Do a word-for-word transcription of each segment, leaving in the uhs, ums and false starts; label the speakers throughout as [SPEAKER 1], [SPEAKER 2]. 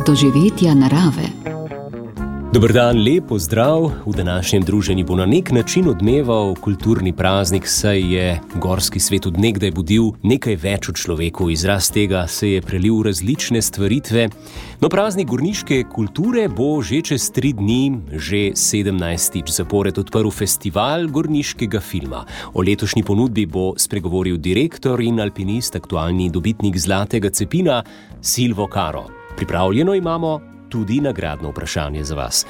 [SPEAKER 1] doživetja narave.
[SPEAKER 2] Dober dan, lep pozdrav. V današnjem druženju bo na nek način odmeval kulturni praznik, saj je gorski svet od nekdaj budil nekaj več v človeku. Izraz tega se je prelil v različne stvaritve. No, praznik gorniške kulture bo že čez tri dni, že sedemnajstič zapored odprl festival gorniškega filma. O letošnji ponudbi bo spregovoril direktor in alpinist, aktualni dobitnik Zlatega cepina, Silvo Karo. Pripravljeno imamo tudi nagradno vprašanje za vas.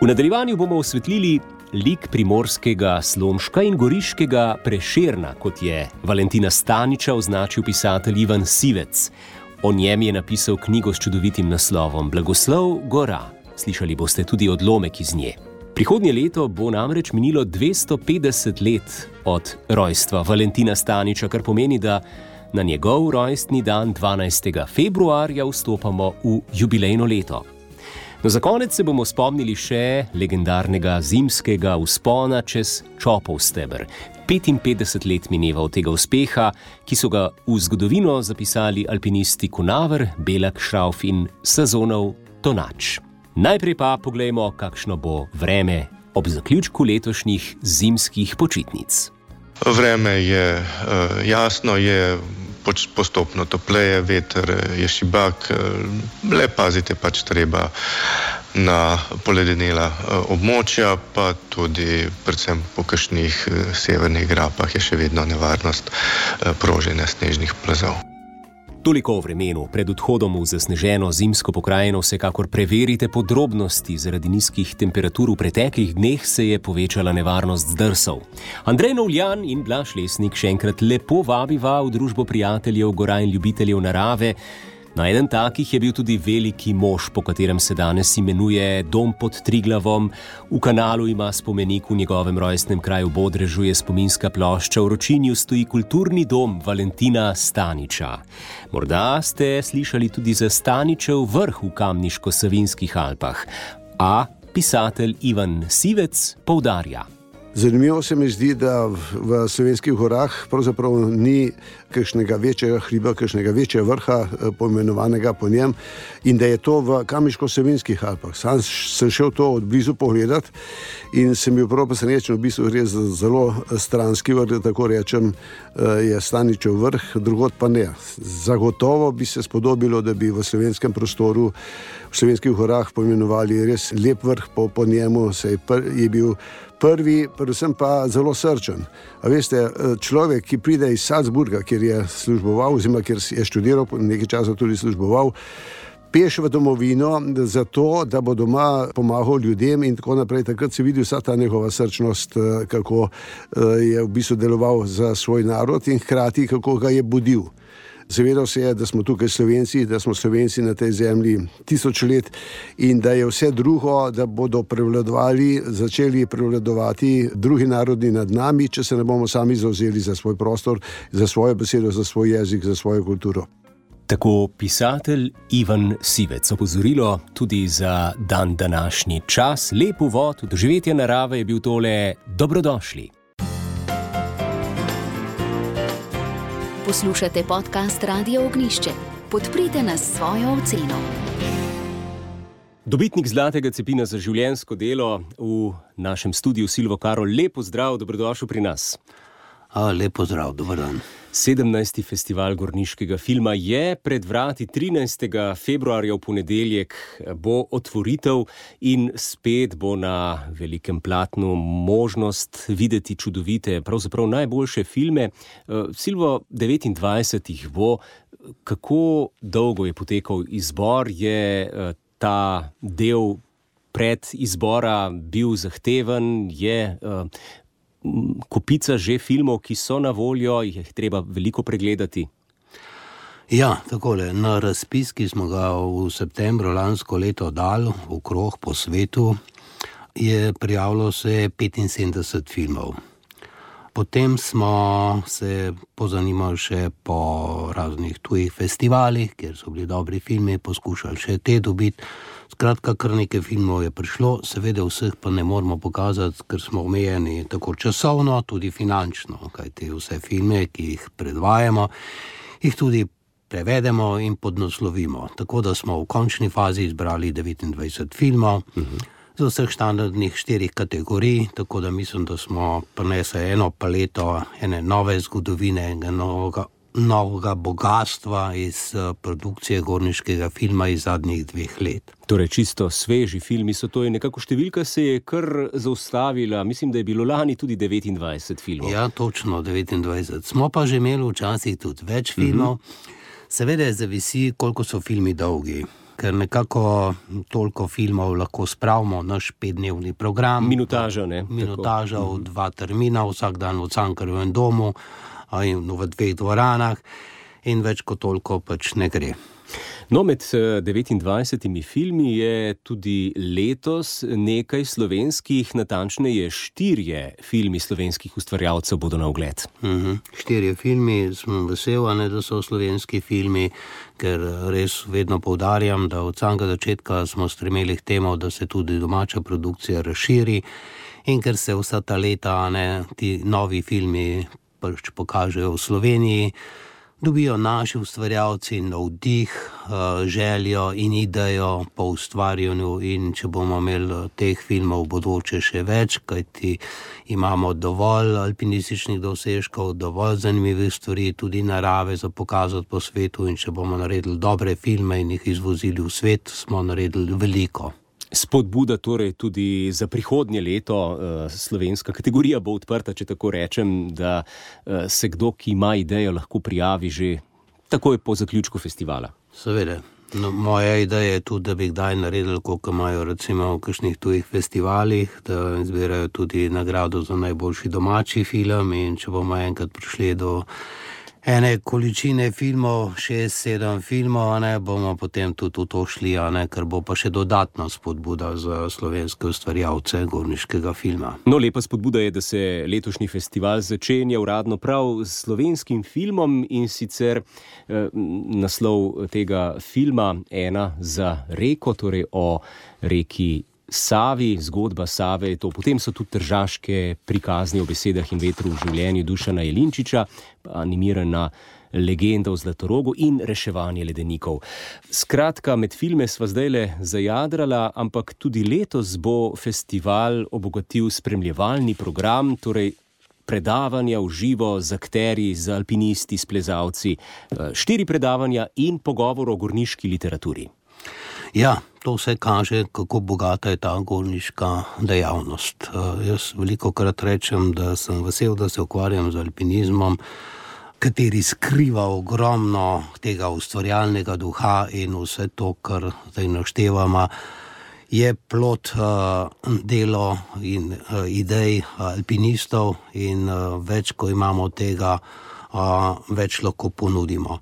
[SPEAKER 2] V nadaljevanju bomo osvetlili lik primorskega Slomška in goriškega Prešerna, kot je Valentina Staniča označil pisatelj Ivan Sivec. O njem je napisal knjigo s čudovitim naslovom Blagoslov gora. Slišali boste tudi odlomek iz nje. Prihodnje leto bo namreč minilo dvesto petdeset let od rojstva Valentina Staniča, kar pomeni, da na njegov rojstni dan dvanajstega februarja vstopamo v jubilejno leto. No, za konec se bomo spomnili še legendarnega zimskega vzpona čez Čopov steber. petinpetdeset let mineva od tega uspeha, ki so ga v zgodovino zapisali alpinisti Kunaver, Belak, Šrauf in Sazonov Tonač. Najprej pa poglejmo, kakšno bo vreme ob zaključku letošnjih zimskih počitnic.
[SPEAKER 3] Vreme je uh, jasno, je postopno topleje, veter je šibak, le pazite pač treba na poledenela območja, pa tudi predvsem po kakšnih severnih grapah je še vedno nevarnost proženja snežnih plazov.
[SPEAKER 2] Toliko o vremenu. Pred odhodom v zasneženo zimsko pokrajino vsekakor preverite podrobnosti. Zaradi nizkih temperatur v preteklih dneh se je povečala nevarnost zdrsov. Andrej Novljan in Blaž Lesnik še enkrat lepo vabiva v družbo prijateljev gora in ljubiteljev narave. No, eden takih je bil tudi veliki mož, po katerem se danes imenuje Dom pod Triglavom. V Kanalu ima spomenik, v njegovem rojstnem kraju Bodrežu je spominska plošča, v Ročinju stoji kulturni dom Valentina Staniča. Morda ste slišali tudi za Staničev vrh v Kamniško-Savinjskih Alpah. A pisatelj Ivan Sivec poudarja.
[SPEAKER 4] Zanimivo se mi zdi, da v Slovenskih gorah pravzaprav ni kakšnega večjega hriba, kakšnega večjega vrha poimenovanega po njem in da je to v Kamniško-Savinjskih Alpah. Sam sem šel to od blizu pogledati in sem bil prav presrečen, v bistvu gre za zelo stranski vrh, tako rečem, je Staničev vrh, drugod pa ne. Zagotovo bi se spodobilo, da bi v slovenskem prostoru v Slovenskih gorah poimenovali res lep vrh po, po njemu, se je, pr, je bil prvi, predvsem pa zelo srčen. A veste, človek, ki pride iz Salzburga, kjer je služboval, oziroma kjer je študiral, nekaj časa tudi služboval, peš v domovino zato, da bo doma pomagal ljudem in tako naprej. Takrat se vidi vsa ta njegova srčnost, kako je v bistvu deloval za svoj narod in hkrati, kako ga je budil. Zavedal se je, da smo tukaj Slovenci, da smo Slovenci na tej zemlji tisoč let in da je vse drugo, da bodo prevladovali, začeli prevladovati drugi narodi nad nami, če se ne bomo sami zavzeli za svoj prostor, za svojo besedo, za svoj jezik, za svojo kulturo.
[SPEAKER 2] Tako pisatelj Ivan Sivec. Opozorilo tudi za dan današnji čas. Lep uvod v doživetje narave je bil tole. Dobrodošli.
[SPEAKER 1] Poslušate podcast Radio Ognjišče. Podprite nas s svojo oceno.
[SPEAKER 2] Dobitnik Zlatega cepina za življenjsko delo v našem studiu Silvo Karo. Lep pozdrav, dobrodošel pri nas.
[SPEAKER 5] A, lep pozdrav, dober dan.
[SPEAKER 2] sedemnajsti festival gorniškega filma je pred vrati. trinajstega februarja v ponedeljek bo otvoritev in spet bo na velikem platnu možnost videti čudovite, pravzaprav najboljše filme. Silvo, devetindvajset jih bo. Kako dolgo je potekal izbor? Je ta del pred izbora bil zahteven? Je kopica že filmov, ki so na voljo, jih je treba veliko pregledati?
[SPEAKER 5] Ja, takole, na razpis, ki smo ga v septembru lansko leto dali v krog po svetu, je prijavilo se petinsedemdeset filmov. Potem smo se pozanimali še po raznih tujih festivalih, kjer so bili dobri filmi, poskušali še te dobiti. Skratka, kar nekaj filmov je prišlo, seveda vseh pa ne moramo pokazati, ker smo omejeni tako časovno, tudi finančno, kajti vse filme, ki jih predvajamo, jih tudi prevedemo in podnaslovimo. Tako da smo v končni fazi izbrali devetindvajset filmov, uh-huh. z vseh standardnih štirih kategorij, tako da mislim, da smo prinesli eno paleto ene nove zgodovine, enega novega, novega bogatstva iz uh, produkcije gorniškega filma iz zadnjih dveh let.
[SPEAKER 2] Torej, čisto sveži filmi so to in nekako številka se je kar zaustavila. Mislim, da je bilo lani tudi devetindvajset filmov.
[SPEAKER 5] Ja, točno devetindvajset. Smo pa že imeli včasih tudi več filmov. Mm-hmm. Seveda zavisi, koliko so filmi dolgi, ker nekako toliko filmov lahko spravimo naš petdnevni program.
[SPEAKER 2] Minutaža, ne?
[SPEAKER 5] Minutaža v dva termina, vsak dan v Cankarjevem domu, in v dveh dvoranah in več kot toliko pač ne gre.
[SPEAKER 2] No, med devetindvajsetimi filmi je tudi letos nekaj slovenskih, natančneje štirje filmi slovenskih ustvarjalcev bodo na ogled.
[SPEAKER 5] Uh-huh. Štirje filmi, sem vesel, ne, da so slovenski filmi, ker res vedno poudarjam, da od samega začetka smo stremeli k temu, da se tudi domača produkcija razširi in ker se vsa ta leta, ne, ti novi filmi pač pokažejo v Sloveniji, dobijo naši ustvarjalci navdih, željo in idejo po ustvarjanju in če bomo imeli teh filmov v bodoče še več, kajti imamo dovolj alpinističnih dosežkov, dovolj zanimivih stvari, tudi narave za pokazati po svetu in če bomo naredili dobre filme in jih izvozili v svet, smo naredili veliko.
[SPEAKER 2] Spodbuda torej tudi za prihodnje leto, slovenska kategorija bo odprta, če tako rečem, da se kdo, ki ima idejo, lahko prijavi že takoj po zaključku festivala.
[SPEAKER 5] Seveda. No, moja ideja je tudi, da bi kdaj naredili, koliko imajo recimo v kakšnih tujih festivalih, da izbirajo tudi nagrado za najboljši domači film in če bomo enkrat prišli do ene količine filmov, šest, sedem filmov, ne, bomo potem tudi v to šli, ne, ker bo pa še dodatna spodbuda za slovenske ustvarjalce gorniškega filma.
[SPEAKER 2] No, lepa spodbuda je, da se letošnji festival začenja uradno prav s slovenskim filmom in sicer eh, naslov tega filma Ena za reko, torej o reki Savi, zgodba Save je to. Potem so tudi tržaške prikazni o besedah in vetru v življenju Dušana Jelinčiča, animirana legenda o Zlatorogu in reševanje ledenikov. Skratka, med filme sva zdajle zajadrala, ampak tudi letos bo festival obogatil spremljevalni program, torej predavanja v živo z akterji, z alpinisti, s plezalci, štiri predavanja in pogovor o gorniški literaturi.
[SPEAKER 5] Ja, to vse kaže, kako bogata je ta gorniška dejavnost. Jaz velikokrat rečem, da sem vesel, da se ukvarjam z alpinizmom, kateri skriva ogromno tega ustvarjalnega duha in vse to, kar zdaj naštevamo, je plod uh, delo in uh, idej alpinistov in uh, več, ko imamo tega, Uh, več lahko ponudimo.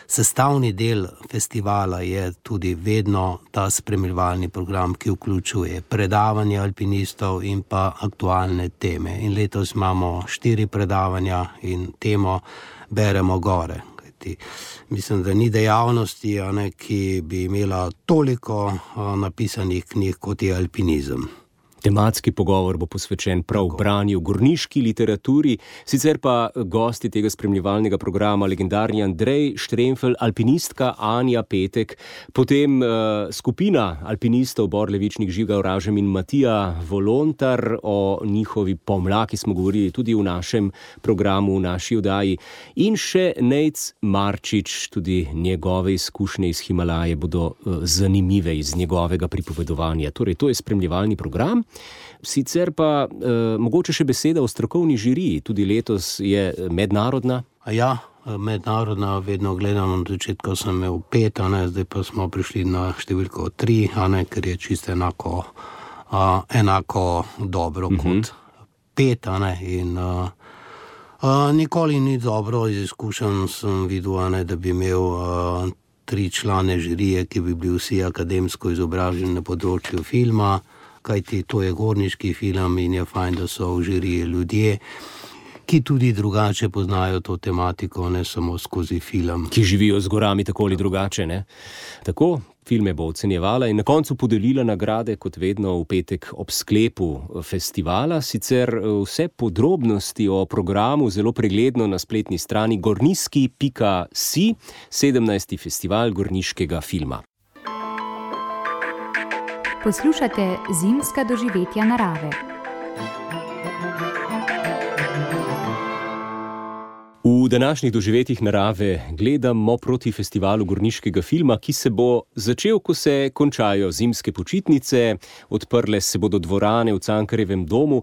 [SPEAKER 5] Sestavni del festivala je tudi vedno ta spremljevalni program, ki vključuje predavanja alpinistov in pa aktualne teme. In letos imamo štiri predavanja in temo Beremo gore. Kajti, mislim, da ni dejavnosti, ne, ki bi imela toliko uh, napisanih knjig, kot je alpinizem.
[SPEAKER 2] Tematski pogovor bo posvečen prav branju gorniški literaturi, sicer pa gosti tega spremljevalnega programa legendarni Andrej Štremfelj, alpinistka Anja Petek, potem uh, skupina alpinistov Bor Levičnik, Žiga Oražem in Matija Volontar, o njihovi pomlaki smo govorili tudi v našem programu, v naši oddaji, in še Nejc Marčič, tudi njegove izkušnje iz Himalaje bodo uh, zanimive iz njegovega pripovedovanja. Torej, to je spremljevalni program. Sicer pa eh, mogoče še beseda o strokovni žiriji, tudi letos je mednarodna.
[SPEAKER 5] Ja, mednarodna, vedno gledam, od začetka sem imel pet, a ne, zdaj pa smo prišli na številko tri, a ne, ker je čisto enako, a, enako dobro uh-huh. kot pet, a ne, in a, a, nikoli ni dobro, iz izkušenj sem videl, a ne, da bi imel a, tri člane žirije, ki bi bili vsi akademsko izobraženi na področju filma, kajti to je gorniški film in je fajn, da so v žiriji ljudje, ki tudi drugače poznajo to tematiko, ne samo skozi film.
[SPEAKER 2] Ki živijo z gorami tako ali drugače, ne? Tako, Filme bo ocenjevala in na koncu podelila nagrade, kot vedno v petek ob sklepu festivala. Sicer vse podrobnosti o programu zelo pregledno na spletni strani gorniski pika si, sedemnajsti festival gorniškega filma.
[SPEAKER 6] Poslušate zimska doživetja narave.
[SPEAKER 2] V današnjih doživetjih narave gledamo proti festivalu gorniškega filma, ki se bo začel, ko se končajo zimske počitnice. Odprle se bodo dvorane v Cankarjevem domu.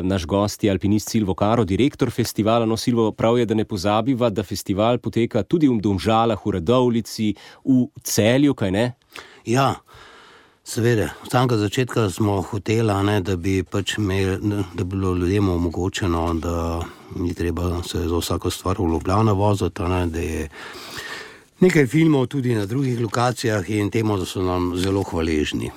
[SPEAKER 2] Naš gost je alpinist Silvo Karo, direktor festivala. No, Silvo, prav je, da ne pozabiva, da festival poteka tudi v Domžalah, v Radovljici, v Celju, kaj ne?
[SPEAKER 5] Ja, seveda. Od samega začetka smo hoteli, ne, da bi pač imeli, da bi bilo ljudem omogočeno, da ni treba se za vsako stvar v Ljubljano voziti, ne, da je nekaj filmov tudi na drugih lokacijah in temu, da so nam zelo hvaležni.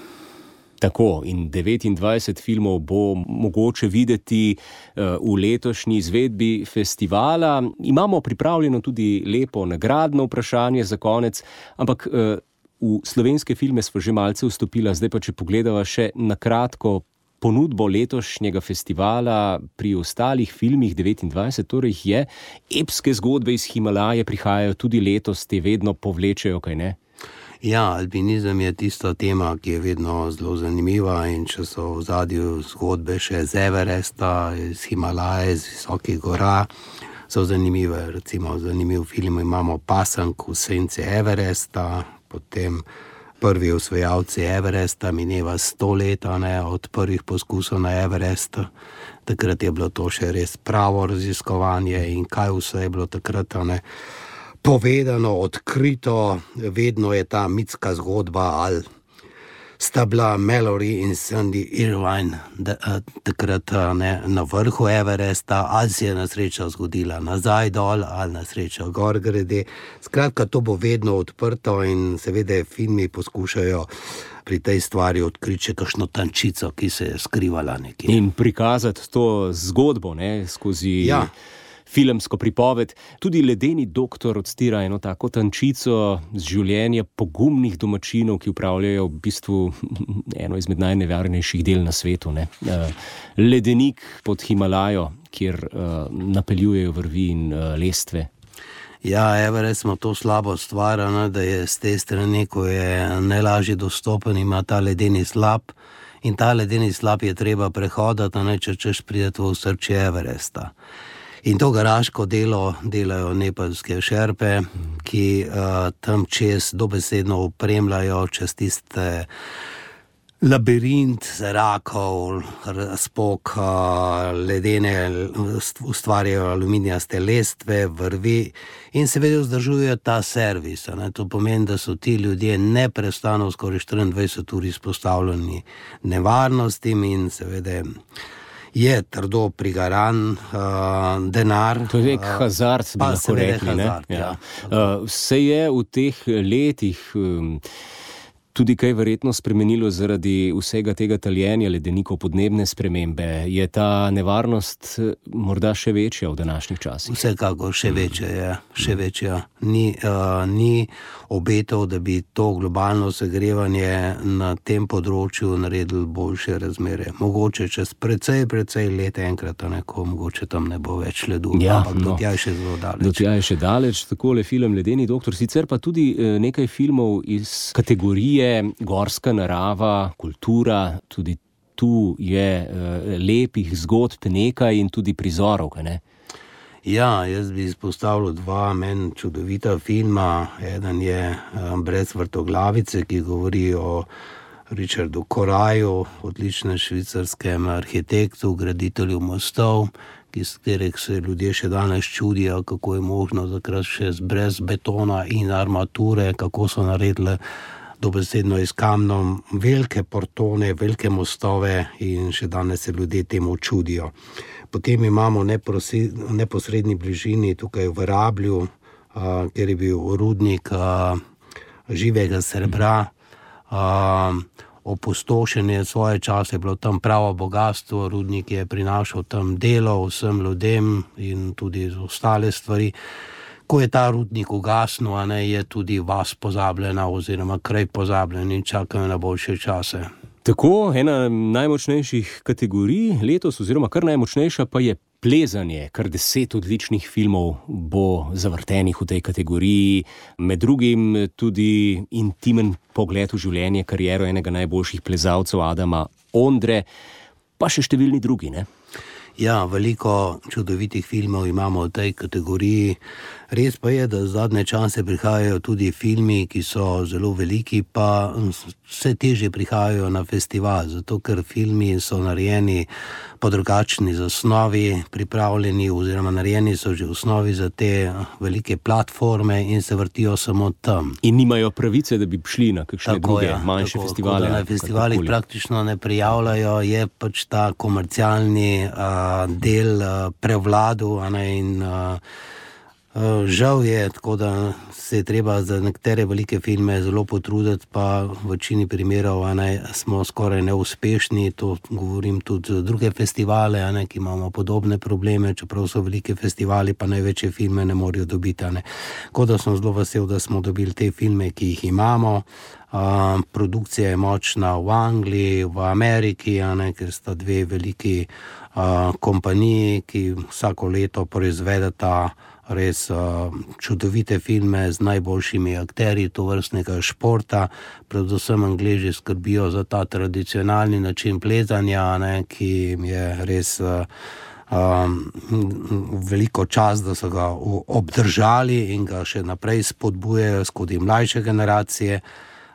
[SPEAKER 2] Tako, in devetindvajset filmov bo mogoče videti uh, v letošnji izvedbi festivala. Imamo pripravljeno tudi lepo nagradno vprašanje za konec, ampak uh, v slovenske filme smo že malce vstopila, zdaj pa če pogledava še na kratko ponudbo letošnjega festivala pri ostalih filmih devetindvajset, torej je, epske zgodbe iz Himalaje prihajajo tudi letos, te vedno povlečejo, kaj ne?
[SPEAKER 5] Ja, alpinizem je tista tema, ki je vedno zelo zanimiva in če so v zadju zgodbe še z Everesta, iz Himalaje, iz visokih gora, so zanimive. Recimo zanimiv film imamo Pasank v senci Everesta, potem prvi osvajalci Everesta, mineva sto let, ne, od prvih poskusov na Everestu. Takrat je bilo to še res pravo raziskovanje in kaj vse je bilo takrat, ne, povedano, odkrito. Vedno je ta mitska zgodba, ali sta bila Mallory in Sandy Irvine da, takrat ne, na vrhu Everesta, ali se je nesreča zgodila nazaj dol, ali nesreča gor grede. Skratka, to bo vedno odprto in seveda filmi poskušajo pri tej stvari odkriti še kakšno tančico, ki se je skrivala nekje.
[SPEAKER 2] In prikazati to zgodbo, ne, skozi... Ja. Filmsko pripoved. Tudi Ledeni doktor odstira eno tako tančico z življenja pogumnih domačinov, ki upravljajo v bistvu eno izmed najnevarnejših del na svetu. Ne? Ledenik pod Himalajo, kjer uh, napeljujejo vrvi in uh, lestve.
[SPEAKER 5] Ja, Everest smo to slabo stvar, ne, da je z te strani, ko je najlažje dostopen, ima ta ledeni slap in ta ledeni slap je treba prehodati, ne, če češ prideti v osrčje Everesta. In to garaško delo delajo nepalske šerpe, ki uh, tam čez dobesedno opremljajo čez tiste labirint zrakov, razpok, uh, ledene, ustvarjajo aluminijaste lestve, vrvi in seveda vzdržujejo ta servis. Ne? To pomeni, da so ti ljudje neprestano skoraj štiriindvajset ur izpostavljeni nevarnostim in seveda je trdo prigaran uh, denar.
[SPEAKER 2] To je nek hazard, bi lahko rekli.
[SPEAKER 5] Hazard, ja.
[SPEAKER 2] Ja. Uh, se je v teh letih um, tudi kaj verjetno spremenilo zaradi vsega tega taljenja ledenikov, podnebne spremembe? Je ta nevarnost morda še večja v današnjih časih?
[SPEAKER 5] Vsekakor še večja je, še večja. Ni, uh, ni obetov, da bi to globalno segrevanje na tem področju naredili boljše razmere. Mogoče čez precej, precej let enkrat, neko mogoče tam ne bo več ledu,
[SPEAKER 2] ja,
[SPEAKER 5] ampak
[SPEAKER 2] no,
[SPEAKER 5] do tja je še zelo daleč.
[SPEAKER 2] Do tja je še daleč, takole film Ledeni doktor, sicer pa tudi nekaj filmov iz kategorije gorska narava, kultura, tudi tu je uh, lepih zgodb nekaj in tudi prizorov, kaj ne?
[SPEAKER 5] Ja, jaz bi izpostavil dva meni čudovita filma. Eden je um, Brez vrtoglavice, ki govori o Richardu Coraju, odličnem švicarskem arhitektu, graditelju mostov, ki s katerih se ljudje še danes čudijo, kako je možno takrat še brez betona in armature, kako so naredili dobesedno iz kamnom velike portone, velike mostove in še danes se ljudje temu čudijo. Potem imamo v neposredni bližini tukaj v Rablju, uh, kjer je bil rudnik uh, živega srebra, uh, opustošenje svoje čase, je bilo tam pravo bogatstvo, rudnik je prinašal tam delo vsem ljudem in tudi ostale stvari. ko je ta rudnik ugasnil, a ne, je tudi vas pozabljena oziroma kraj pozabljen in čakajo na boljše čase.
[SPEAKER 2] Tako, ena najmočnejših kategorij letos oziroma kar najmočnejša pa je plezanje. Kar deset odličnih filmov bo zavrtenih v tej kategoriji, med drugim tudi intimen pogled v življenje, kariero enega najboljših plezalcev Adama Ondre, pa še številni drugi, ne?
[SPEAKER 5] Ja, veliko čudovitih filmov imamo v tej kategoriji. Res pa je, da zadnje čase prihajajo tudi filmi, ki so zelo veliki, pa vse težje prihajajo na festival, zato ker filmi so narejeni po drugačni zasnovi, pripravljeni oziroma narejeni so že v osnovi za te velike platforme in se vrtijo samo tam.
[SPEAKER 2] In nimajo pravice, da bi šli na kakšne
[SPEAKER 5] tako,
[SPEAKER 2] druge
[SPEAKER 5] ja,
[SPEAKER 2] manjše
[SPEAKER 5] tako,
[SPEAKER 2] festivale.
[SPEAKER 5] Na festivalih praktično ne prijavljajo, je pač ta komercialni uh, del uh, prevladu, a ne, in uh, žal je, tako da se je treba za nekatere velike filme zelo potruditi, pa v večini primerov a ne, smo skoraj neuspešni. To govorim tudi za druge festivale, a ne, ki imamo podobne probleme, čeprav so velike festivali, pa največje filme ne morejo dobiti. A ne. Tako da sem zelo vesel, da smo dobili te filme, ki jih imamo. Uh, produkcija je močna v Angliji, v Ameriki, a ne, ker sta dve veliki uh, kompaniji, ki vsako leto proizvedeta res uh, čudovite filme z najboljšimi akterji tovrstnega športa. Predvsem Angleži skrbijo za ta tradicionalni način plezanja, ne, ki je res uh, um, veliko čas, da so ga obdržali in ga še naprej spodbujajo skozi mlajše generacije.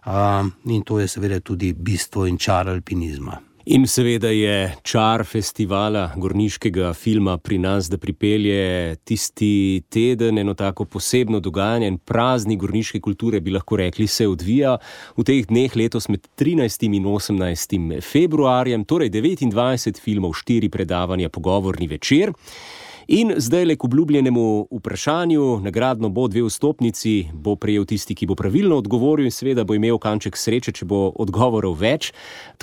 [SPEAKER 5] Uh, in to je seveda tudi bistvo in čar alpinizma.
[SPEAKER 2] In seveda je čar festivala gorniškega filma pri nas, da pripelje tisti teden, eno tako posebno dogajanje, en praznik gorniške kulture, bi lahko rekli, se odvija v teh dneh letos med trinajstim in osemnajstim februarjem, torej devetindvajset filmov, štiri predavanja, pogovorni večer. In zdaj le k obljubljenemu vprašanju, nagradno bo dve vstopnici, bo prejel tisti, ki bo pravilno odgovoril in seveda bo imel kanček sreče, če bo odgovorov več.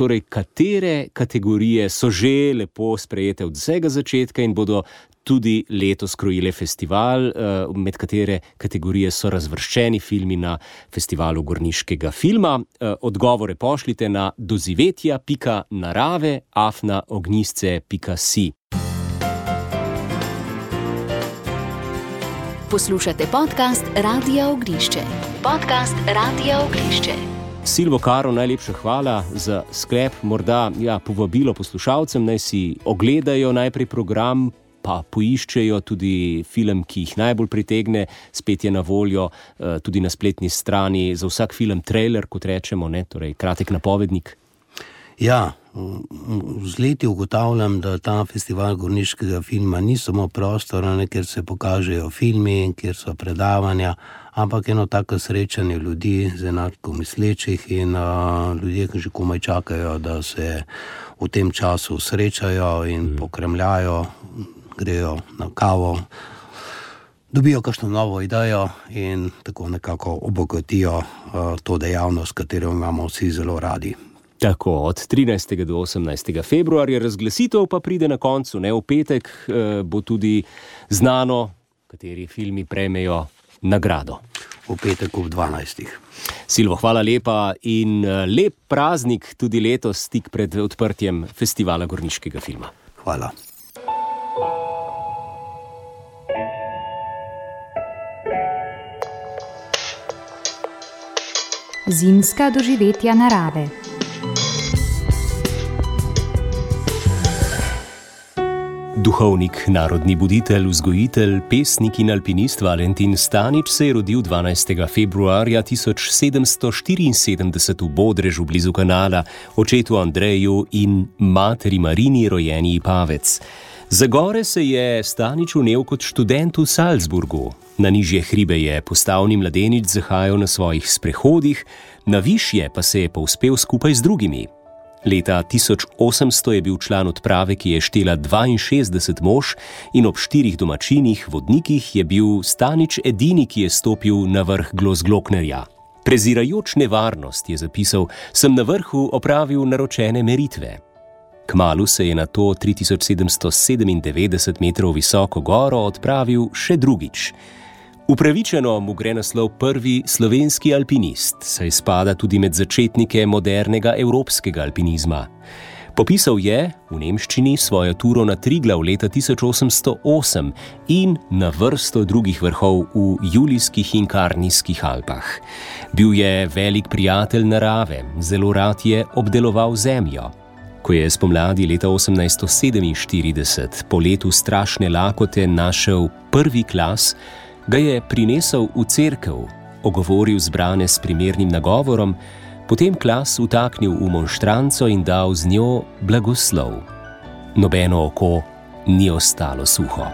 [SPEAKER 2] Torej, katere kategorije so že lepo sprejete od vsega začetka in bodo tudi letos krojile festival, med katere kategorije so razvrščeni filmi na festivalu gorniškega filma. Odgovore pošljite na dozivetja pika narave afna ognjisce pika si.
[SPEAKER 1] Poslušate podcast Radia Ognjišče. Podcast Radia Ognjišče.
[SPEAKER 2] Silvo, Karo, najlepša hvala za sklep. Morda ja, povabilo poslušalcem, naj si ogledajo najprej program, pa poiščejo tudi film, ki jih najbolj pritegne. Spet je na voljo uh, tudi na spletni strani za vsak film trailer, kot rečemo, ne? Torej kratek napovednik.
[SPEAKER 5] Ja, z leti ugotavljam, da ta festival gorniškega filma ni samo prostor, ne, kjer se pokažejo filmi, kjer so predavanja, ampak eno tako srečanje ljudi z enako mislečih in uh, ljudje, ki že komaj čakajo, da se v tem času srečajo in pokremljajo, grejo na kavo, dobijo kakšno novo idejo in tako nekako obogatijo uh, to dejavnost, katero imamo vsi zelo radi.
[SPEAKER 2] Tako, od trinajstega do osemnajstega februarja, razglasitev pa pride na koncu, ne, v petek eh, bo tudi znano, kateri filmi prejmejo nagrado.
[SPEAKER 5] V petek ob dvanajstih.
[SPEAKER 2] Silvo, hvala lepa in lep praznik tudi letos, tik pred odprtjem festivala gorniškega filma.
[SPEAKER 5] Hvala.
[SPEAKER 6] Zimska doživetja narave.
[SPEAKER 2] Duhovnik, narodni buditelj, vzgojitelj, pesnik in alpinist Valentin Stanič se je rodil dvanajstega februarja tisoč sedemsto štiriinsedemdeset v Bodrežu blizu Kanala, očetu Andreju in materi Marini, rojeni Ipavec. Za gore se je Stanič vnel kot študent v Salzburgu. Na nižje hribe je postavni mladenič zahajal na svojih sprehodih, na višje pa se je povzpel skupaj z drugimi. Leta tisoč osemsto je bil član odprave, ki je štela dvainšestdeset mož in ob štirih domačinih vodnikih je bil Stanič edini, ki je stopil na vrh Glosgloknerja. Prezirajoč nevarnost, je zapisal, sem na vrhu opravil naročene meritve. Kmalu se je na to tri tisoč sedemsto sedemindevetdeset metrov visoko goro odpravil še drugič. Upravičeno mu gre naslov prvi slovenski alpinist, saj spada tudi med začetnike modernega evropskega alpinizma. Popisal je v nemščini svojo turo na Triglav leta tisoč osemsto osem in na vrsto drugih vrhov v Julijskih in Karnijskih Alpah. Bil je velik prijatelj narave, zelo rad je obdeloval zemljo. Ko je spomladi leta osemnajststo sedeminštirideset po letu strašne lakote našel prvi klas, ga je prinesel v cerkev, ogovoril zbrane s primernim nagovorom, potem klas vtaknil v monštranco in dal z njo blagoslov. Nobeno oko ni ostalo suho.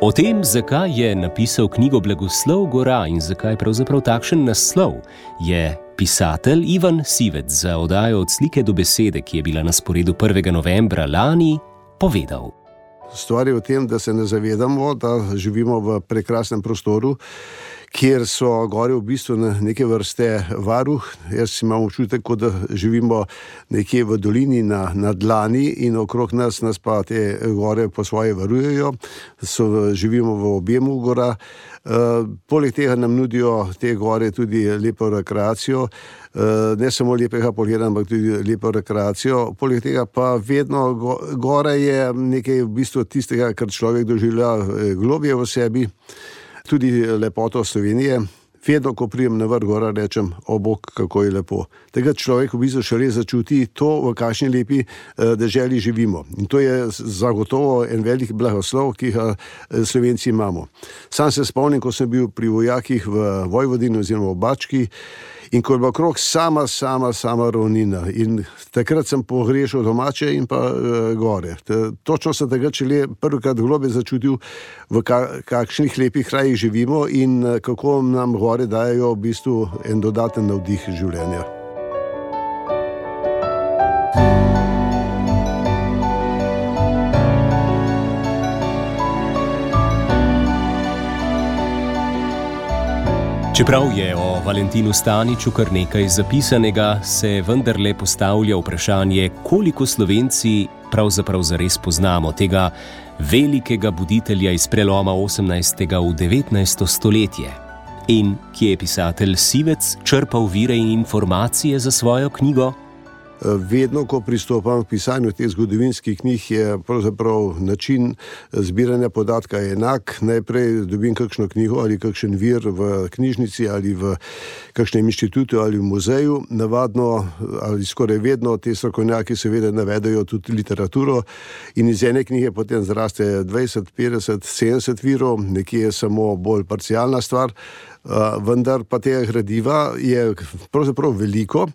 [SPEAKER 2] O tem, zakaj je napisal knjigo Blagoslov gora in zakaj pravzaprav takšen naslov, je pisatelj Ivan Sivec za oddajo Od slike do besede, ki je bila na sporedu prvega novembra lani, povedal.
[SPEAKER 4] Stvar je v tem, da se ne zavedamo, da živimo v prekrasnem prostoru, kjer so gore v bistvu neke vrste varuh. Jaz imam občutek, kot da živimo nekje v dolini na, na dlani in okrog nas, nas pa te gore po svoje varujejo. So, živimo v objemu gora. Uh, poleg tega nam nudijo te gore tudi lepo rekreacijo. Uh, ne samo lepega pogleda, ampak tudi lepo rekreacijo. Poleg tega pa vedno go, gora je nekaj v bistvu tistega, kar človek doživlja globje v sebi. Tudi lepoto Slovenije. Vedno, ko prijem na vrh gora, rečem, o bog, kako je lepo. Tega človek v bistvu šele začuti to, v kakšni lepi deželi živimo. In to je zagotovo en velik blagoslov, ki ga Slovenci imamo. Sam se spomnim, ko sem bil pri vojakih v Vojvodini oziroma v Bački, in ko je bila okrog sama, sama, sama ravnina. In takrat sem pogrešal domače in pa e, gore. Točno sem takrat šele prvikrat globe začutil, v ka, kakšnih lepih krajih živimo in kako nam gore dajo v bistvu en dodaten navdih življenja.
[SPEAKER 2] Čeprav je o Valentinu Staniču kar nekaj zapisanega, se vendarle postavlja vprašanje, koliko Slovenci pravzaprav zares poznamo tega velikega buditelja iz preloma osemnajstega v devetnajsto stoletje. In kje je pisatelj Sivec črpal vire in informacije za svojo knjigo?
[SPEAKER 4] Vedno, ko pristopam k pisanju teh zgodovinskih knjig, je pravzaprav način zbiranja podatka enak. Najprej dobim kakšno knjigo ali kakšen vir v knjižnici ali v kakšnem inštitutu ali v muzeju. Navadno ali skoraj vedno te strokovnjaki seveda navedajo tudi literaturo in iz ene knjige potem zraste dvajset, petdeset, sedemdeset virov, nekje je samo bolj parcialna stvar. Uh, vendar pa tega gradiva je pravzaprav veliko,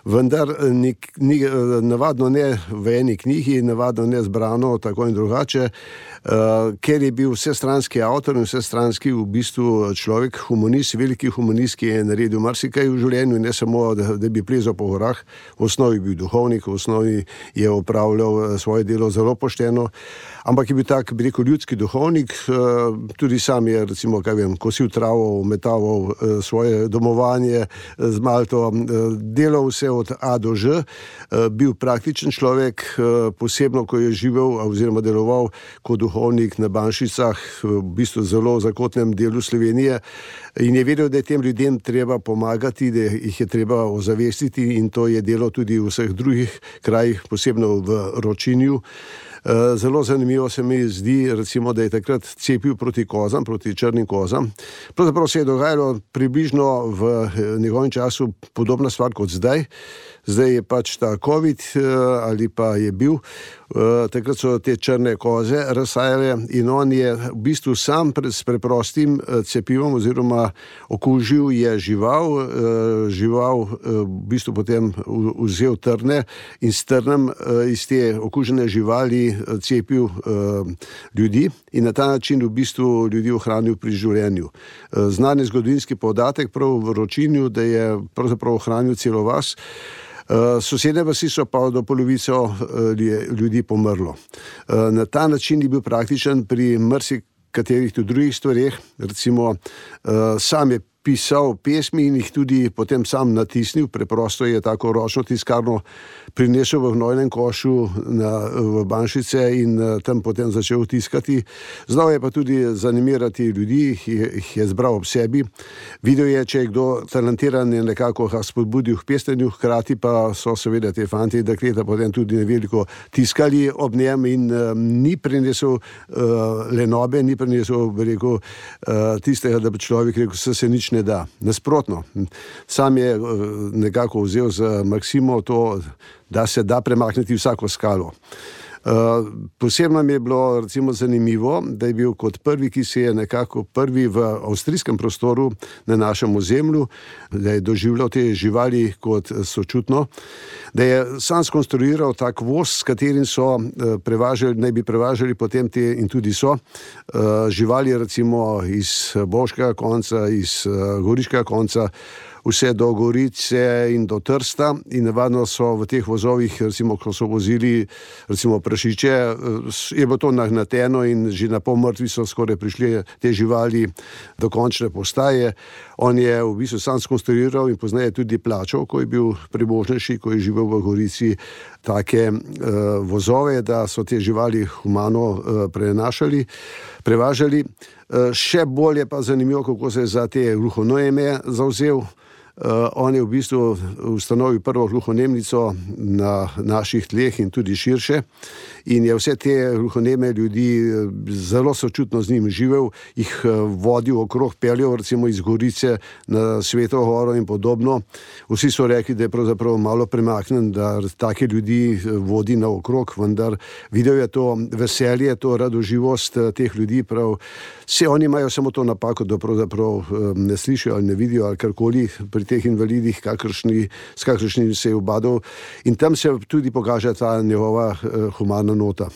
[SPEAKER 4] vendar nik, ni, navadno ne v eni knjigi, navadno ne zbrano tako in drugače, uh, ker je bil vsestranski avtor in vsestranski v bistvu človek, humanist, veliki humanist, ki je naredil marsikaj v življenju, ne samo, da, da bi plezal po gorah, v osnovi bil duhovnik, v osnovi je opravljal svoje delo zelo pošteno, ampak je bil tak, bi rekel, ljudski duhovnik, uh, tudi sam je, recimo, kaj vem, kosil travo, metal svoje domovanje z Malto, delal vse od A do Ž, bil praktičen človek, posebno, ko je živel oziroma deloval kot duhovnik na Banšicah, v bistvu zelo zakotnem delu Slovenije, in je vedel, da je tem ljudem treba pomagati, da jih je treba ozavestiti, in to je delo tudi v vseh drugih krajih, posebno v Ročinju. Zelo zanimivo se mi zdi, recimo, da je takrat cepil proti kozam, proti črnim kozam. Pravzaprav se je dogajalo približno v njegovem času podobna stvar kot zdaj. Zdaj je pač ta COVID ali pa je bil. Takrat so te črne koze razsajale in on je v bistvu sam s preprostim cepivom oziroma okužil je žival, žival v bistvu potem vzel trne in s trnem iz te okužene živali cepil ljudi in na ta način v bistvu ljudi ohranil pri življenju. Znan je zgodovinski podatek prav v Ročinju, da je pravzaprav ohranil celo vas. Uh, sosedne vasi so pa do polovico uh, ljudi pomrlo. Uh, na ta način je bil praktičen pri marsikaterih tudi drugih stvareh. Recimo, uh, sam je pisal pesmi in jih tudi potem sam natisnil. Preprosto je tako ročno tiskarno prinesel v gnojnem košu na, v Banšice in tam potem začel tiskati. Znal je pa tudi zanimirati ljudi, jih je zbral ob sebi. Videl je, če je kdo talentiran, je nekako ga spodbudil k pesnjenju, hkrati pa so seveda te fanti in dekleta potem tudi neveliko tiskali ob njem in um, ni prinesel uh, lenobe, ni prinesel, bi rekel, uh, tistega, da bi človek rekel, se se nič ne da. Nasprotno, sam je uh, nekako vzel z maksimo to, da se da premakniti vsako skalo. Uh, posebno mi je bilo recimo zanimivo, da je bil kot prvi, ki se je nekako prvi v avstrijskem prostoru na našem ozemlju, da je doživljal te živali kot sočutno, da je sam skonstruiral tak voz, s katerim so uh, prevažali, naj bi prevažali potem te in tudi so uh, živali recimo iz Bovškega konca, iz uh, Goriškega konca, vse do Gorice in do Trsta in navadno so v teh vozovih, recimo, ko so vozili recimo prašiče, je bilo to nagnateno in že na pol mrtvi so skoraj prišli te živali do končne postaje. On je v bistvu sam skonstruiral in poznaje tudi plačal, ko je bil premožnejši, ko je živel v Gorici, take uh, vozove, da so te živali humano uh, prenašali, prevažali. Uh, še bolje pa zanimivo, kako se je za te gluhoneme zavzel. Uh, on je v bistvu ustanovil prvo gluhonemnico na naših tleh in tudi širše in je vse te gluhoneme ljudi zelo sočutno z njim živel, jih vodil okrog, peljal recimo iz Gorice na Sveto Goro in podobno. Vsi so rekli, da je pravzaprav malo premaknen, da take ljudi vodi na okrog, vendar videl je to veselje, to radoživost teh ljudi, prav vse oni imajo samo to napako, da pravzaprav ne slišijo ali ne vidijo ali karkoli pri teh invalidih, kakršni, s kakršnim se je ubadal in tam se tudi pokaže ta njegova uh, humana nota.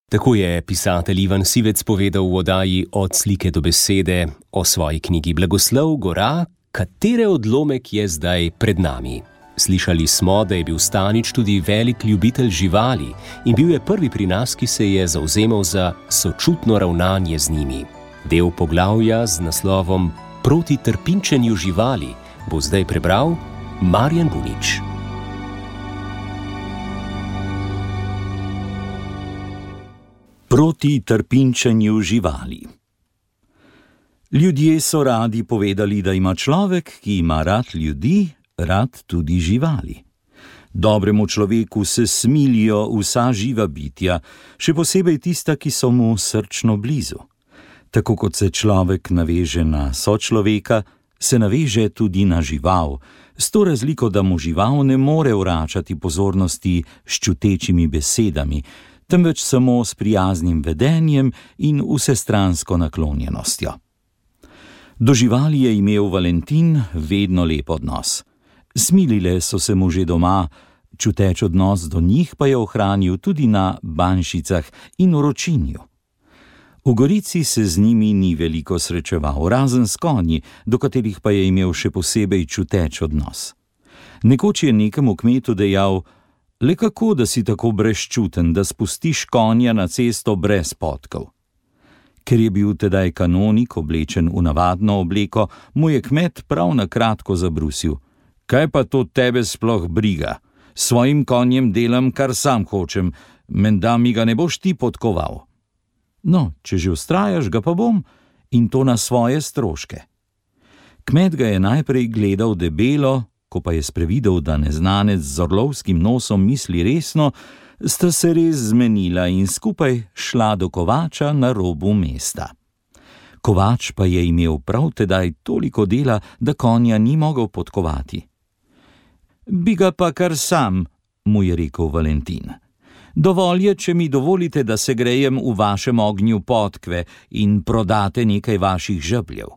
[SPEAKER 2] Tako je pisatelj Ivan Sivec povedal v oddaji Od slike do besede o svoji knjigi Blagoslov gora, katere odlomek je zdaj pred nami. Slišali smo, da je bil Stanič tudi velik ljubitelj živali in bil je prvi pri nas, ki se je zavzemal za sočutno ravnanje z njimi. Del poglavja z naslovom Proti trpinčenju živali bo zdaj prebral Marjan Bunič.
[SPEAKER 7] Proti trpinčenju živali. Ljudje so radi povedali, da ima človek, ki ima rad ljudi, rad tudi živali. Dobremu človeku se smilijo vsa živa bitja, še posebej tista, ki so mu srčno blizu. Tako kot se človek naveže na sočloveka, se naveže tudi na žival, s to razliko, da mu žival ne more vračati pozornosti s čutečimi besedami, temveč samo s prijaznim vedenjem in vsestransko naklonjenostjo. Do živali je imel Valentin vedno lep odnos. Smilile so se mu že doma, čuteč odnos do njih pa je ohranil tudi na Banšicah in v Ročinju. V Gorici se z njimi ni veliko srečeval, razen s konji, do katerih pa je imel še posebej čuteč odnos. Nekoč je nekemu kmetu dejal: le kako, da si tako brezčuten, da spustiš konja na cesto brez podkov? Ker je bil tedaj kanonik oblečen v navadno obleko, mu je kmet prav na kratko zabrusil: kaj pa to tebe sploh briga? S svojim konjem delam, kar sam hočem, menda mi ga ne boš ti podkoval. No, če že vztrajaš, ga pa bom, in to na svoje stroške. Kmet ga je najprej gledal debelo, ko pa je sprevidel, da neznanec z orlovskim nosom misli resno, sta se res zmenila in skupaj šla do kovača na robu mesta. Kovač pa je imel prav tedaj toliko dela, da konja ni mogel podkovati. Bi ga pa kar sam, mu je rekel Valentin. Dovolj je, če mi dovolite, da se grejem v vašem ognju podkve in prodate nekaj vaših žebljev.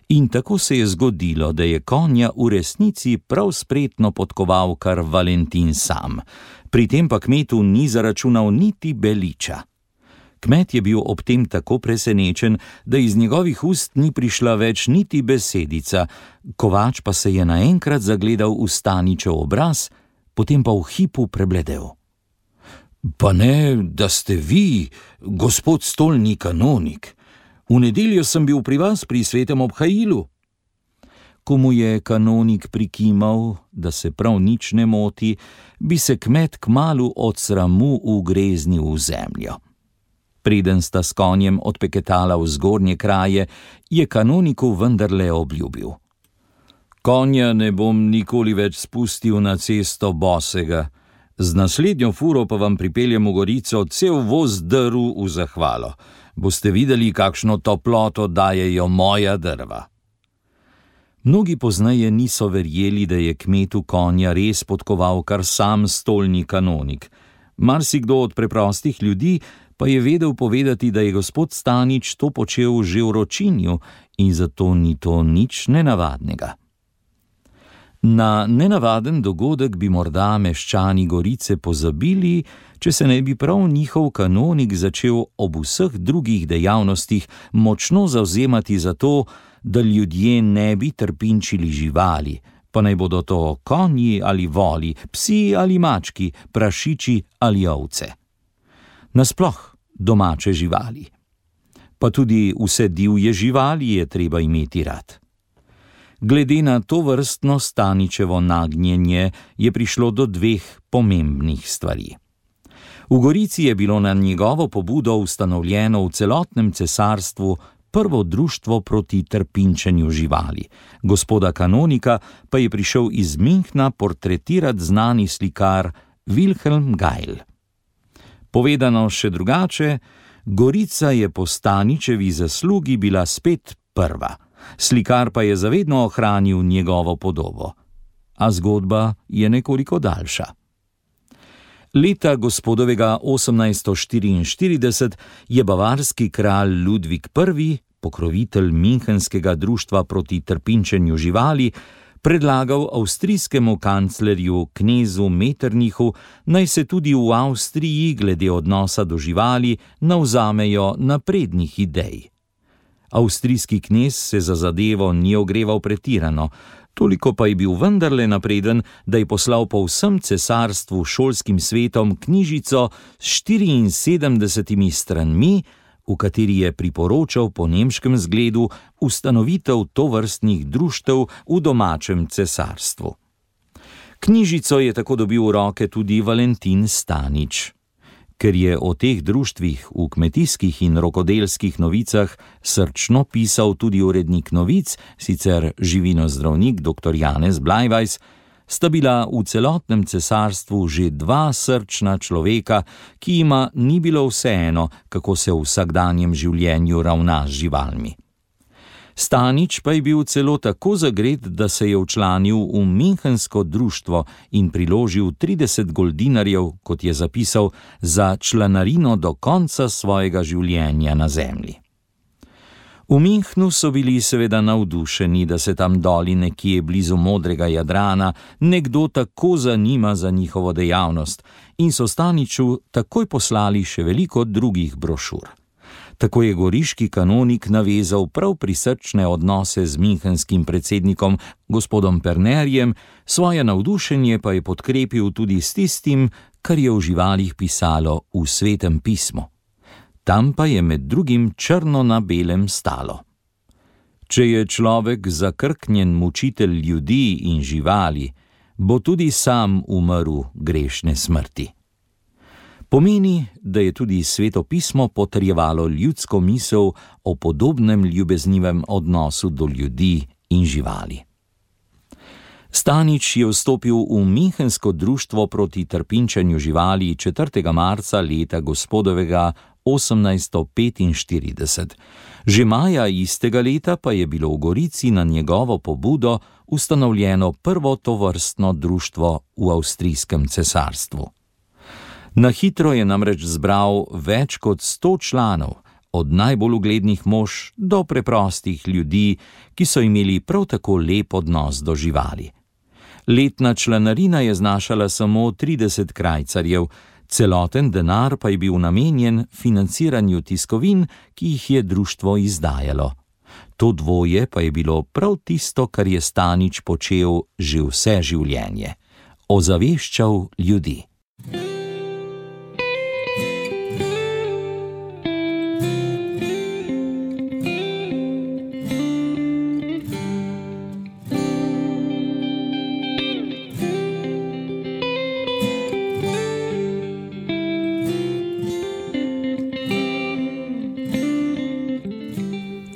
[SPEAKER 7] In tako se je zgodilo, da je konja v resnici prav spretno podkoval kar Valentin sam. Pri tem pa kmetu ni zaračunal niti beliča. Kmet je bil ob tem tako presenečen, da iz njegovih ust ni prišla več niti besedica, kovač pa se je naenkrat zagledal v Staničev obraz, potem pa v hipu prebledel. Pa ne, da ste vi, gospod stolni kanonik. V nedeljo sem bil pri vas pri svetem obhajilu, Ko mu je kanonik prikimal, da se prav nič ne moti, bi se kmet kmalu od sramu ugreznil v zemljo. Preden sta s konjem odpeketala v zgornje kraje, je kanoniku vendarle obljubil: Konja ne bom nikoli več spustil na cesto bosega, z naslednjo furo pa vam pripeljem v Gorico cel voz drv v zahvalo. Boste videli, kakšno toploto dajejo moja drva. Mnogi pozneje niso verjeli, da je kmetu konja res podkoval kar sam stolni kanonik. Marsikdo od preprostih ljudi pa je vedel povedati, da je gospod Stanič to počel že v Ročinju in zato ni to nič nenavadnega. Na nenavaden dogodek bi morda meščani Gorice pozabili, če se ne bi prav njihov kanonik začel ob vseh drugih dejavnostih močno zavzemati za to, da ljudje ne bi trpinčili živali, pa naj bodo to konji ali voli, psi ali mački, prašiči ali ovce. Nasploh domače živali. Pa tudi vse divje živali je treba imeti rad. Glede na to vrstno Staničevo nagnjenje je prišlo do dveh pomembnih stvari. V Gorici je bilo na njegovo pobudo ustanovljeno v celotnem cesarstvu prvo društvo proti trpinčenju živali. Gospoda kanonika pa je prišel iz Münchna portretirati znani slikar Wilhelm Geil. Povedano še drugače, Gorica je po Staničevi zaslugi bila spet prva. Slikar pa je zavedno ohranil njegovo podobo. A zgodba je nekoliko daljša. Leta gospodovega osemnajststo štiriinštirideset je bavarski kralj Ludvik prvi, pokrovitelj Münchenskega društva proti trpinčenju živali, predlagal avstrijskemu kanclerju knezu Metternichu, naj se tudi v Avstriji glede odnosa do živali navzamejo naprednih idej. Avstrijski knez se za zadevo ni ogreval pretirano, toliko pa je bil vendarle napreden, da je poslal po vsem cesarstvu šolskim svetom knjižico s štiriinsedemdesetimi stranmi, v kateri je priporočal po nemškem zgledu ustanovitev tovrstnih društev v domačem cesarstvu. Knjižico je tako dobil v roke tudi Valentin Stanič. Ker je o teh društvih v kmetijskih in rokodelskih novicah srčno pisal tudi urednik novic, sicer živinozdravnik doktor Janez Blajvajs, sta bila v celotnem cesarstvu že dva srčna človeka, ki jima ni bilo vseeno, kako se v vsakdanjem življenju ravna z živalmi. Stanič pa je bil celo tako zagret, da se je včlanil v Münchensko društvo in priložil trideset goldinarjev, kot je zapisal, za članarino do konca svojega življenja na zemlji. V Münchnu so bili seveda navdušeni, da se tam doli nekje blizu modrega Jadrana nekdo tako zanima za njihovo dejavnost in so Staniču takoj poslali še veliko drugih brošur. Tako je goriški kanonik navezal prav prisrčne odnose z münchenskim predsednikom gospodom Pernerjem, svoje navdušenje pa je podkrepil tudi s tistim, kar je o živalih pisalo v Svetem pismu. Tam pa je med drugim črno na belem stalo: Če je človek zakrknjen mučitelj ljudi in živali, bo tudi sam umrl grešne smrti. Pomeni, da je tudi Sveto pismo potrjevalo ljudsko misel o podobnem ljubeznivem odnosu do ljudi in živali. Stanič je vstopil v Münchensko društvo proti trpinčenju živali četrtega marca leta gospodovega osemnajststo petinštirideset. Že maja istega leta pa je bilo v Gorici na njegovo pobudo ustanovljeno prvo tovrstno društvo v avstrijskem cesarstvu. Na hitro je namreč zbral več kot sto članov, od najbolj uglednih mož do preprostih ljudi, ki so imeli prav tako lep odnos do živali. Letna članarina je znašala samo trideset krajcarjev, celoten denar pa je bil namenjen financiranju tiskovin, ki jih je društvo izdajalo. To dvoje pa je bilo prav tisto, kar je Stanič počel že vse življenje: ozaveščal ljudi.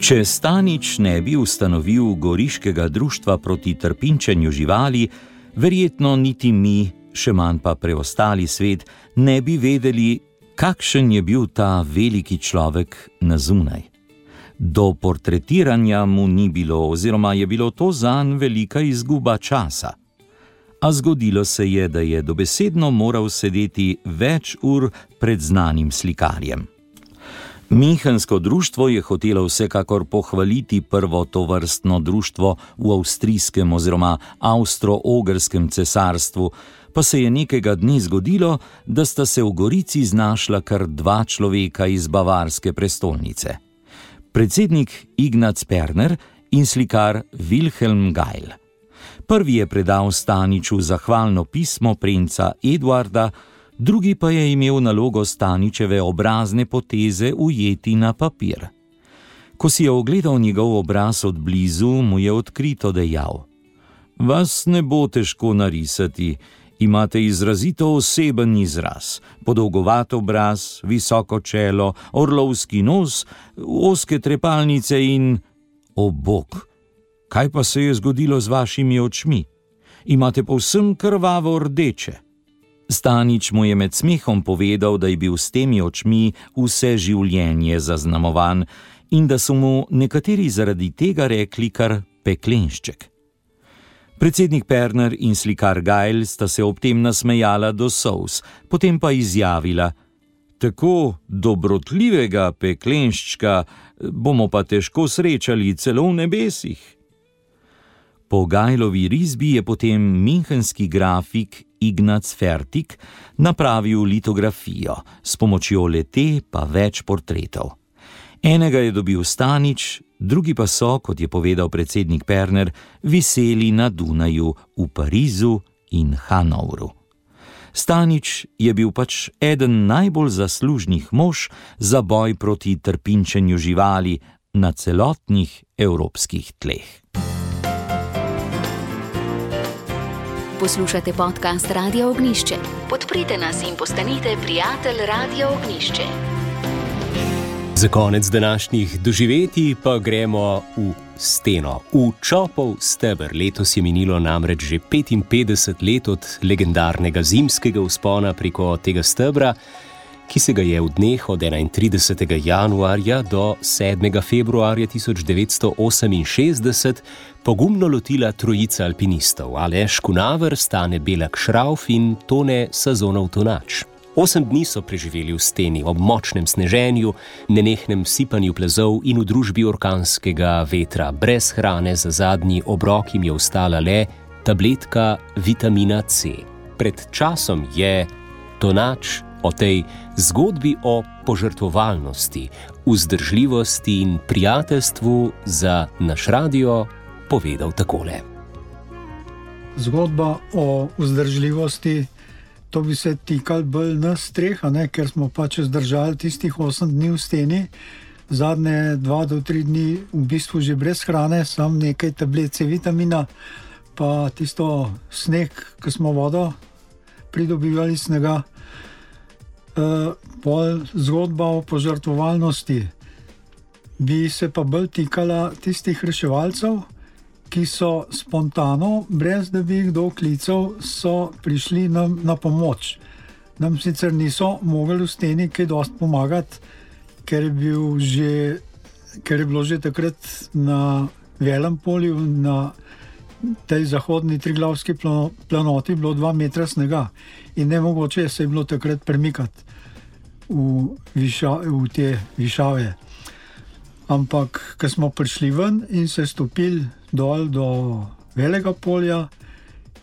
[SPEAKER 7] Če Stanič ne bi ustanovil Goriškega društva proti trpinčenju živali, verjetno niti mi, še manj pa preostali svet, ne bi vedeli, kakšen je bil ta veliki človek na zunaj. Do portretiranja mu ni bilo, oziroma je bilo to zanj velika izguba časa. A zgodilo se je, da je dobesedno moral sedeti več ur pred znanim slikarjem. Münchensko društvo je hotelo vsekakor pohvaliti prvo tovrstno društvo v avstrijskem oziroma avstro-ogrskem cesarstvu, pa se je nekega dne zgodilo, da sta se v Gorici znašla kar dva človeka iz bavarske prestolnice. Predsednik Ignaz Perner in slikar Wilhelm Geil. Prvi je predal Staniču zahvalno pismo princa Eduarda, drugi pa je imel nalogo Staničeve obrazne poteze ujeti na papir. Ko si je ogledal njegov obraz od blizu, mu je odkrito dejal: "Vas ne bo težko narisati, imate izrazito oseben izraz, podolgovat obraz, visoko čelo, orlovski nos, ozke trepalnice in... O bog, kaj pa se je zgodilo z vašimi očmi? Imate povsem krvavo rdeče." Stanič mu je med smehom povedal, da je bil s temi očmi vse življenje zaznamovan in da so mu nekateri zaradi tega rekli kar peklenšček. Predsednik Perner in slikar Geil sta se ob tem nasmejala do solz, potem pa izjavila: "Tako dobrotljivega peklenščka bomo pa težko srečali celo v nebesih." Po Geilovi risbi je potem münchenski grafik Ignaz Fertig napravil litografijo, s pomočjo le-te pa več portretov. Enega je dobil Stanič, drugi pa so, kot je povedal predsednik Perner, viseli na Dunaju, v Parizu in Hanovru. Stanič je bil pač eden najbolj zaslužnih mož za boj proti trpinčenju živali na celotnih evropskih tleh.
[SPEAKER 1] Poslušate podcast Radia Ognjišče. Podprite nas in postanite prijatelj Radia Ognjišče.
[SPEAKER 2] Za konec današnjih doživetij pa gremo v steno. V Čopov steber. Letos je minilo namreč že petinpetdeset let od legendarnega zimskega vzpona preko tega stebra, ki se ga je v dneh od enaintridesetega januarja do sedmega februarja tisoč devetsto oseminšestdeset pogumno lotila trojica alpinistov: Aleš Kunaver, Stane Belak Šrauf in Tone Sazonov Tonač. Osem dni so preživeli v steni ob močnem sneženju, nenehnem sipanju plazov in v družbi orkanskega vetra. Brez hrane za zadnji obrok jim je ostala le tabletka vitamina C. Pred časom je Tonač o tej zgodbi o požrtvovalnosti, vzdržljivosti in prijateljstvu za naš radio povedal takole.
[SPEAKER 8] Zgodba o vzdržljivosti, to bi se tikal bolj nas treh, ne, ker smo pač zdržali tistih osem dni v steni, zadnje dva do tri dni v bistvu že brez hrane, sam nekaj tablece vitamina, pa tisto sneg, ki smo vodo pridobivali snega. Uh, pol zgodba o požrtvovalnosti bi se pa bolj tikala tistih reševalcev, ki so spontano, brez da bi jih kdo klical, so prišli nam na pomoč. Nam sicer niso mogli v steni kaj dosti pomagati, ker je, bil že, ker je bilo že takrat na Velem polju, na tej zahodni Triglavski planoti, bilo dva metra snega in nemogoče se je bilo takrat premikati v, viša, v te višave. Ampak, ko smo prišli ven in se stopili dol do Velega polja,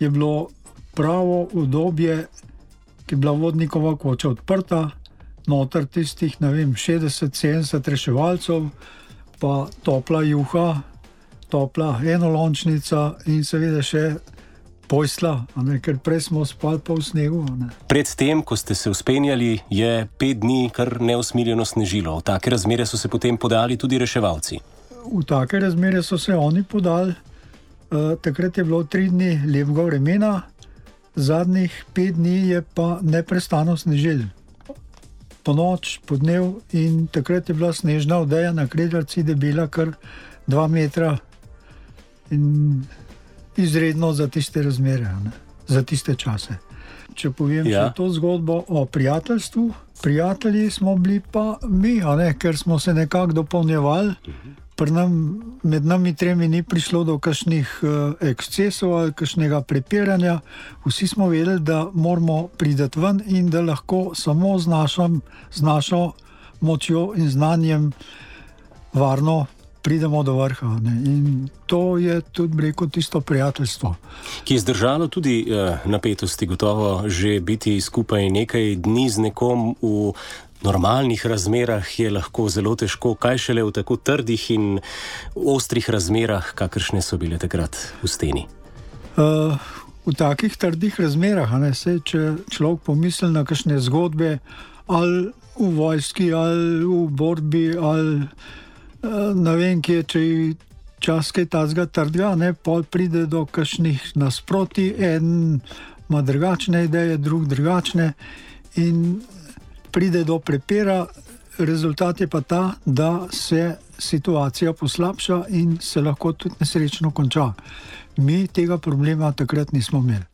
[SPEAKER 8] je bilo pravo udobje, ki je bila vodnikova koča odprta, noter tistih, ne vem, šestdeset sedemdeset reševalcev, pa topla juha, topla enolončnica in seveda še posla, ne, ker prej smo spali pa v snegu. Ne.
[SPEAKER 2] Predtem, ko ste se vzpenjali, je pet dni kar neusmiljeno snežilo. V take razmere so se potem podali tudi reševalci.
[SPEAKER 8] V take razmere so se oni podali. E, takrat je bilo tri dni lepega vremena, zadnjih pet dni je pa neprestano snežilo. po noč, po dnev in takrat je bila snežna odeja na Kredarici debela kar dva metra in izredno za tiste razmere, ne? Za tiste čase. Če povem ja. še to zgodbo o prijateljstvu, prijatelji smo bili pa mi, a ne? Ker smo se nekako dopolnjevali. Pri nam, med nami tremi ni prišlo do kakšnih uh, ekscesov ali kakšnega prepiranja. Vsi smo vedeli, da moramo priti ven in da lahko samo z, našom, z našo močjo in znanjem varno pridemo do vrha. Ne? In to je tudi, rekel, tisto prijateljstvo.
[SPEAKER 2] Ki je zdržalo tudi uh, napetosti, gotovo že biti skupaj nekaj dni z nekom v normalnih razmerah je lahko zelo težko, kaj šele v tako trdih in ostrih razmerah, kakršne so bile takrat v steni.
[SPEAKER 8] Uh, v takih trdih razmerah, ne, se, če človek pomisli na kakšne zgodbe, ali v vojski, ali v borbi, ali uh, ne vem kje, če je čas kaj tazga trdga, ne, pol pride do kakšnih nasproti, en ima drugačne ideje, drug drugačne in pride do prepira, rezultat je pa ta, da se situacija poslabša in se lahko tudi nesrečno konča. Mi tega problema takrat nismo imeli.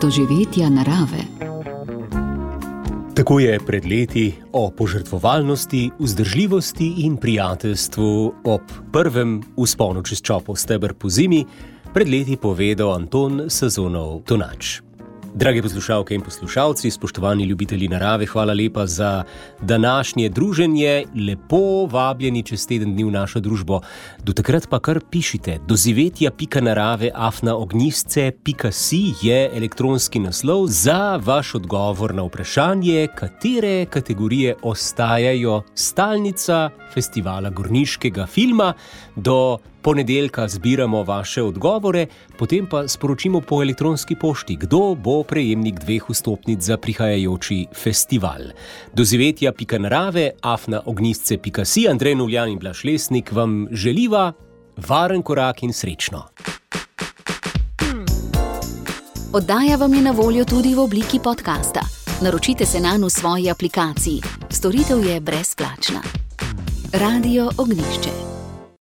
[SPEAKER 1] Doživetja narave.
[SPEAKER 2] Tako je pred leti o požrtvovalnosti, vzdržljivosti in prijateljstvu ob prvem vzponu čez Čopov steber po zimi pred leti povedal Anton Sazonov Tonač. Drage poslušalke in poslušalci, spoštovani ljubitelji narave, hvala lepa za današnje druženje. Lepo vabljeni čez teden dni v našo družbo. Do takrat pa kar pišite. dozivetja pika narave afna ognjisce pika si je elektronski naslov za vaš odgovor na vprašanje, katere kategorije ostajajo stalnica festivala gorniškega filma. Do ponedeljka zbiramo vaše odgovore, potem pa sporočimo po elektronski pošti, kdo bo prejemnik dveh vstopnic za prihajajoči festival. dozivetja pika narave afna ognjisce pika si. Andrej Nuljan in Blaž Lesnik vam želiva varen korak in srečno.
[SPEAKER 1] Oddaja vam je na voljo tudi v obliki podcasta. Naročite se nanj v svoji aplikaciji. Storitev je brezplačna. Radio Ognjišče.